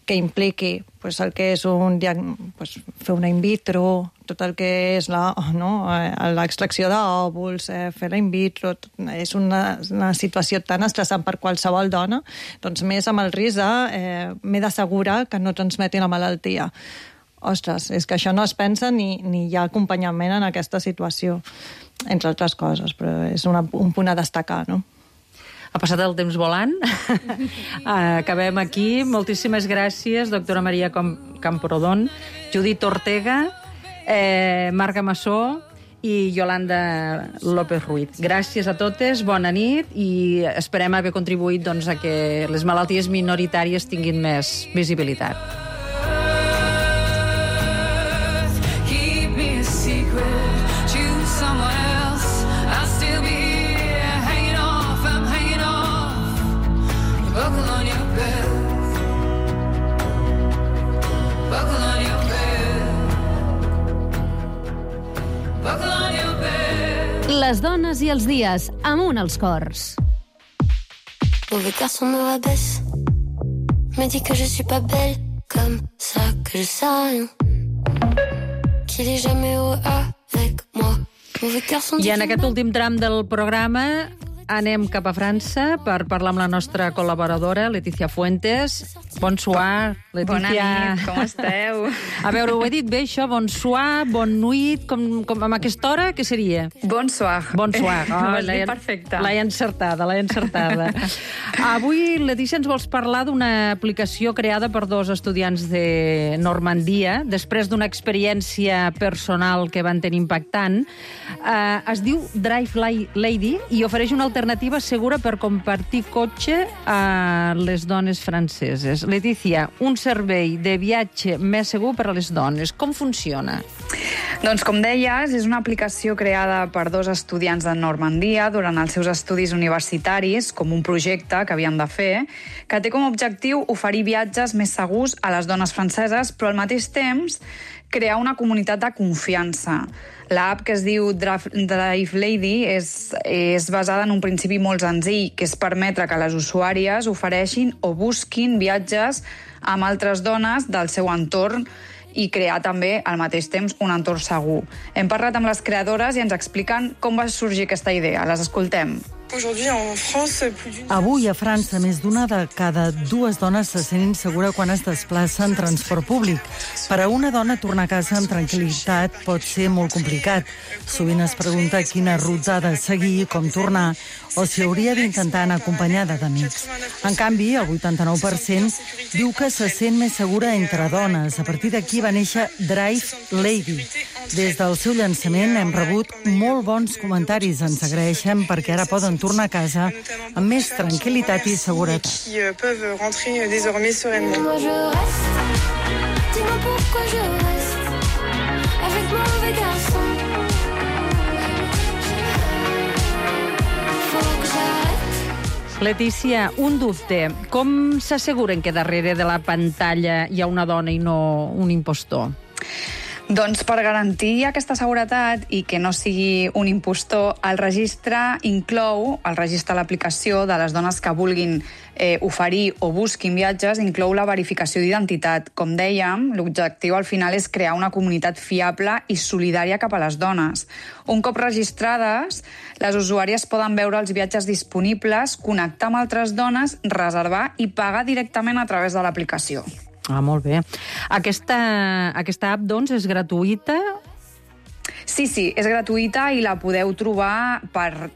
que impliqui el que és fer una in vitro, tot el que és l'extracció d'òvuls, fer la in vitro, és una situació tan estressant per qualsevol dona, doncs més amb el risc de m'he d'assegurar que no transmeti la malaltia. Ostres, és que això no es pensa ni hi ha acompanyament en aquesta situació, entre altres coses, però és un punt a destacar, no? Ha passat el temps volant. Acabem aquí. Moltíssimes gràcies, doctora Maria Camprodon, Judit Ortega, Marga Massó i Yolanda López Ruiz. Gràcies a totes, bona nit i esperem haver contribuït a que les malalties minoritàries tinguin més visibilitat. Les dones i els dies, amunt els cors. Mauvais garçon me rabaisse, me dit que je suis pas belle, comme ça que je sais rien, qu'il est jamais heureux avec moi. I en aquest últim tram del programa anem cap a França per parlar amb la nostra col·laboradora, Letícia Fuentes. Bonsoir, Letícia. Bona nit, com esteu? A veure, ho he dit bé, això? Bonsoir, bon nuit, com amb aquesta hora, què seria? Bonsoir. Bonsoir. Ho has dit perfecte. L'he encertada. Avui, Letícia, ens vols parlar d'una aplicació creada per dos estudiants de Normandia, després d'una experiència personal que van tenir impactant. Es diu Drive Lady i ofereix una alternativa segura per compartir cotxe a les dones franceses. Letícia, un servei de viatge més segur per a les dones. Com funciona? Doncs, com deies, és una aplicació creada per dos estudiants de Normandia durant els seus estudis universitaris, com un projecte que havien de fer, que té com a objectiu oferir viatges més segurs a les dones franceses, però al mateix temps crear una comunitat de confiança. L'app, que es diu Drive Lady, és basada en un principi molt senzill, que és permetre que les usuàries ofereixin o busquin viatges amb altres dones del seu entorn i crear també, al mateix temps, un entorn segur. Hem parlat amb les creadores i ens expliquen com va sorgir aquesta idea. Les escoltem. Avui a França, més d'una de cada dues dones se sent insegura quan es desplaça en transport públic. Per a una dona, tornar a casa amb tranquil·litat pot ser molt complicat. Sovint es pregunta quina ruta ha de seguir, com tornar, o si hauria d'intentar anar acompanyada d'amics. En canvi, el 89% diu que se sent més segura entre dones. A partir d'aquí va néixer Drive Lady. Des del seu llançament hem rebut molt bons comentaris. Ens agraeixen perquè ara poden tornar a casa amb més tranquil·litat i seguretat. Letícia, un dubte. Com s'asseguren que darrere de la pantalla hi ha una dona i no un impostor? Doncs per garantir aquesta seguretat i que no sigui un impostor, el registre de l'aplicació de les dones que vulguin oferir o busquin viatges, inclou la verificació d'identitat. Com dèiem, l'objectiu al final és crear una comunitat fiable i solidària cap a les dones. Un cop registrades, les usuàries poden veure els viatges disponibles, connectar amb altres dones, reservar i pagar directament a través de l'aplicació. Ah, molt bé. Aquesta app, doncs, és gratuïta? Sí, és gratuïta i la podeu trobar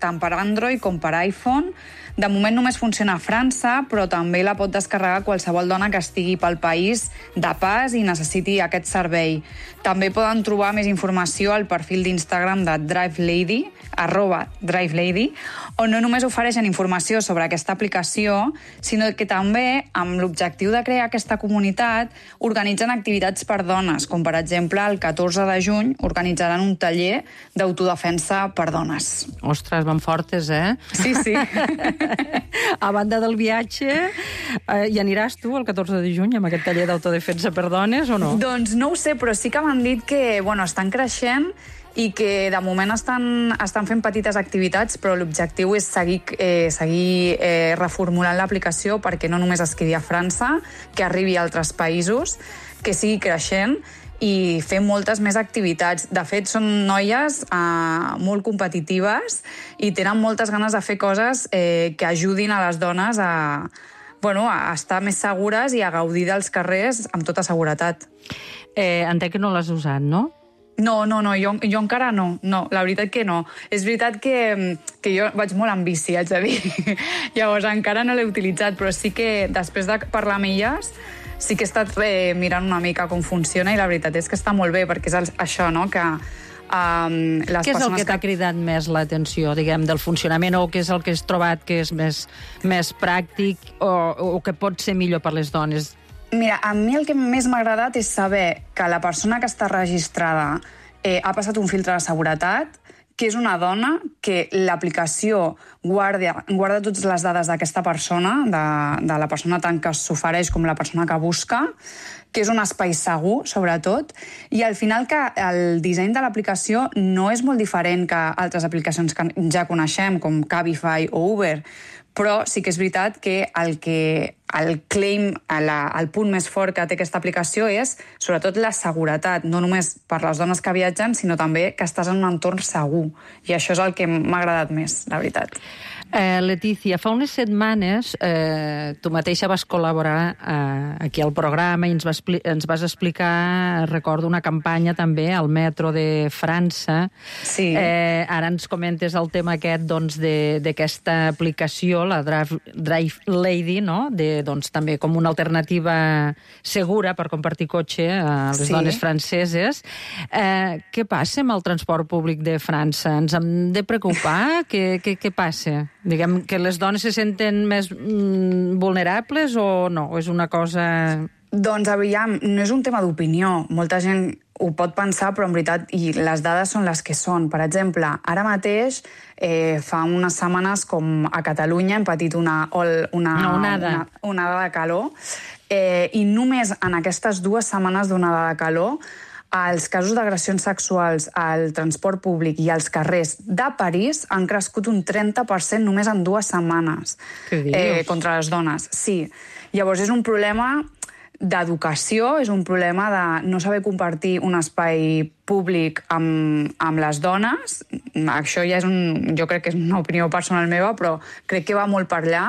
tant per Android com per iPhone. De moment només funciona a França, però també la pot descarregar qualsevol dona que estigui pel país de pas i necessiti aquest servei. També poden trobar més informació al perfil d'Instagram de DriveLady, @DriveLady, on no només ofereixen informació sobre aquesta aplicació, sinó que també, amb l'objectiu de crear aquesta comunitat, organitzen activitats per dones, com per exemple el 14 de juny organitzaran un taller d'autodefensa per dones. Ostres, van fortes, eh? Sí. A banda del viatge, hi aniràs tu el 14 de juny amb aquest taller d'autodefensa per dones o no? Doncs no ho sé, però sí que m'han dit que estan creixent i que de moment estan fent petites activitats, però l'objectiu és seguir reformulant l'aplicació perquè no només es quedi a França, que arribi a altres països, que sigui creixent i fer moltes més activitats. De fet, són noies molt competitives i tenen moltes ganes de fer coses que ajudin a les dones a estar més segures i a gaudir dels carrers amb tota seguretat. Entenc que no l'has usat, no? No, jo encara no, la veritat que no. És veritat que jo vaig molt en bici, haig de dir. Llavors encara no l'he utilitzat, però sí que després de parlar amb elles sí que he estat mirant una mica com funciona i la veritat és que està molt bé, perquè és això, no?, que les què és el que t'ha cridat més l'atenció, diguem, del funcionament, o què és el que has trobat que és més pràctic o que pot ser millor per les dones? Mira, a mi el que més m'ha agradat és saber que la persona que està registrada ha passat un filtre de seguretat, que és una dona, que l'aplicació guarda totes les dades d'aquesta persona, de la persona tant que s'ofereix com la persona que busca, que és un espai segur, sobretot, i al final que el disseny de l'aplicació no és molt diferent que altres aplicacions que ja coneixem, com Cabify o Uber, però sí que és veritat que el claim, el punt més fort que té aquesta aplicació és sobretot la seguretat, no només per les dones que viatgen, sinó també que estàs en un entorn segur. I això és el que m'ha agradat més, la veritat. Letícia, fa unes setmanes tu mateixa vas col·laborar aquí al programa i ens vas explicar, recordo, una campanya també al metro de França. Sí. Ara ens comentes el tema aquest d'aquesta aplicació, la DriveLady, no?, també com una alternativa segura per compartir cotxe a les dones franceses. Què passa amb el transport públic de França? Ens hem de preocupar? Què passa? Diguem, que les dones se senten més vulnerables o no? O és una cosa... Doncs, aviam, no és un tema d'opinió. Molta gent ho pot pensar, però en veritat i les dades són les que són. Per exemple, ara mateix, fa unes setmanes, com a Catalunya, hem patit una onada de calor, i només en aquestes 2 setmanes d'onada de calor els casos d'agressions sexuals al transport públic i als carrers de París han crescut un 30% només en 2 setmanes contra les dones. Sí. Llavors és un problema d'educació, és un problema de no saber compartir un espai públic amb les dones. Això ja jo crec que és una opinió personal meva, però crec que va molt per allà.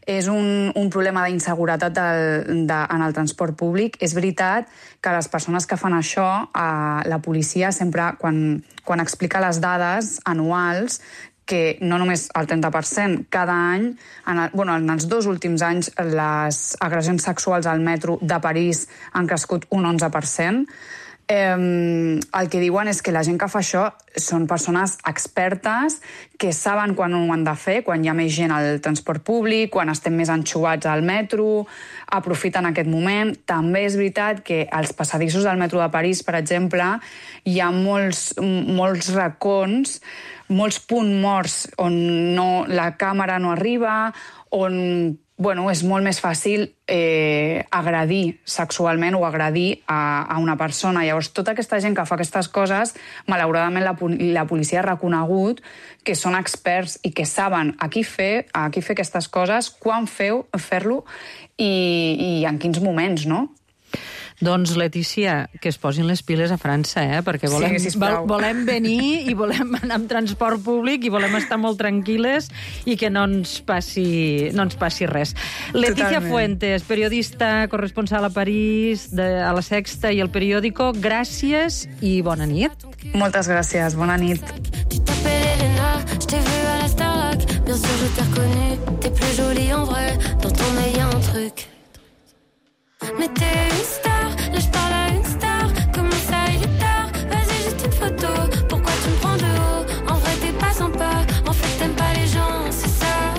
És un problema d'inseguretat en el transport públic. És veritat que les persones que fan això, la policia sempre, quan explica les dades anuals, que no només el 30%, cada any, en els 2 últims anys, les agressions sexuals al metro de París han crescut un 11%. El que diuen és que la gent que fa això són persones expertes que saben quan ho han de fer, quan hi ha més gent al transport públic, quan estem més anxovats al metro, aprofiten aquest moment. També és veritat que als passadissos del metro de París, per exemple, hi ha molts racons, molts punts morts on la càmera no arriba, on és molt més fàcil agredir sexualment o agredir a una persona. Llavors, tota aquesta gent que fa aquestes coses, malauradament la policia ha reconegut que són experts i que saben a qui fer aquestes coses, quan fer-lo i en quins moments, no? Doncs, Letícia, que es posin les piles a França, perquè volem venir i volem anar amb transport públic i volem estar molt tranquil·les i que no ens passi res. Letícia Fuentes, periodista, corresponsal a París, a La Sexta i El Periódico, gràcies i bona nit. Moltes gràcies, bona nit. Tu t'appelles Elena, je t'ai vu à la Starac. Bien sûr, je t'ai reconnu, t'es plus jolie en vrai. Dans ton œil, y'a un truc. Mais t'es une star, là je parle à une star. Comment ça, il est tard? Vas-y, juste une photo. Pourquoi tu me prends de haut? En vrai, t'es pas sympa. En fait, t'aimes pas les gens, c'est ça.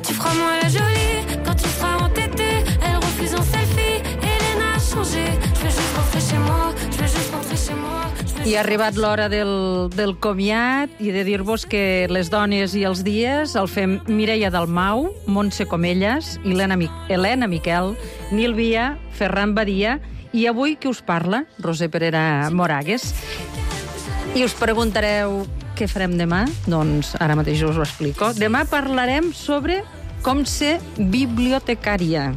Tu feras moi la jolie quand tu seras entêtée. Elle refuse un selfie. Elena a changé. Je veux juste rentrer chez moi. Je veux juste rentrer chez moi. I ha arribat l'hora del comiat i de dir-vos que les dones i els dies el fem Mireia Dalmau, Montse Comelles, Helena Miquel, Nil Via, Ferran Badia i avui qui us parla, Roser Perera Moragues. I us preguntareu què farem demà? Doncs ara mateix us ho explico. Demà parlarem sobre com ser bibliotecària.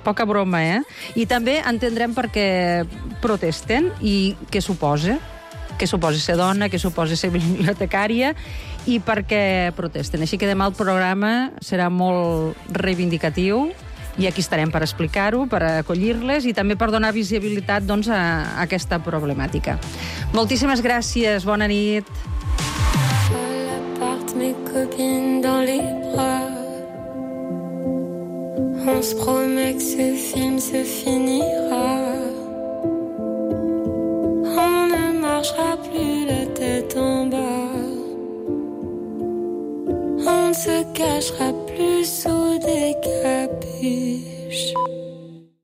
Poca broma, I també entendrem per què protesten i què suposa ser dona, què suposa ser bibliotecària i per què protesten. Així que demà el programa serà molt reivindicatiu i aquí estarem per explicar-ho, per acollir-les i també per donar visibilitat a aquesta problemàtica. Moltíssimes gràcies, bona nit. On se promet que ce film se finira. On ne marchera plus la tête en bas. On ne se cachera plus sous des capuches.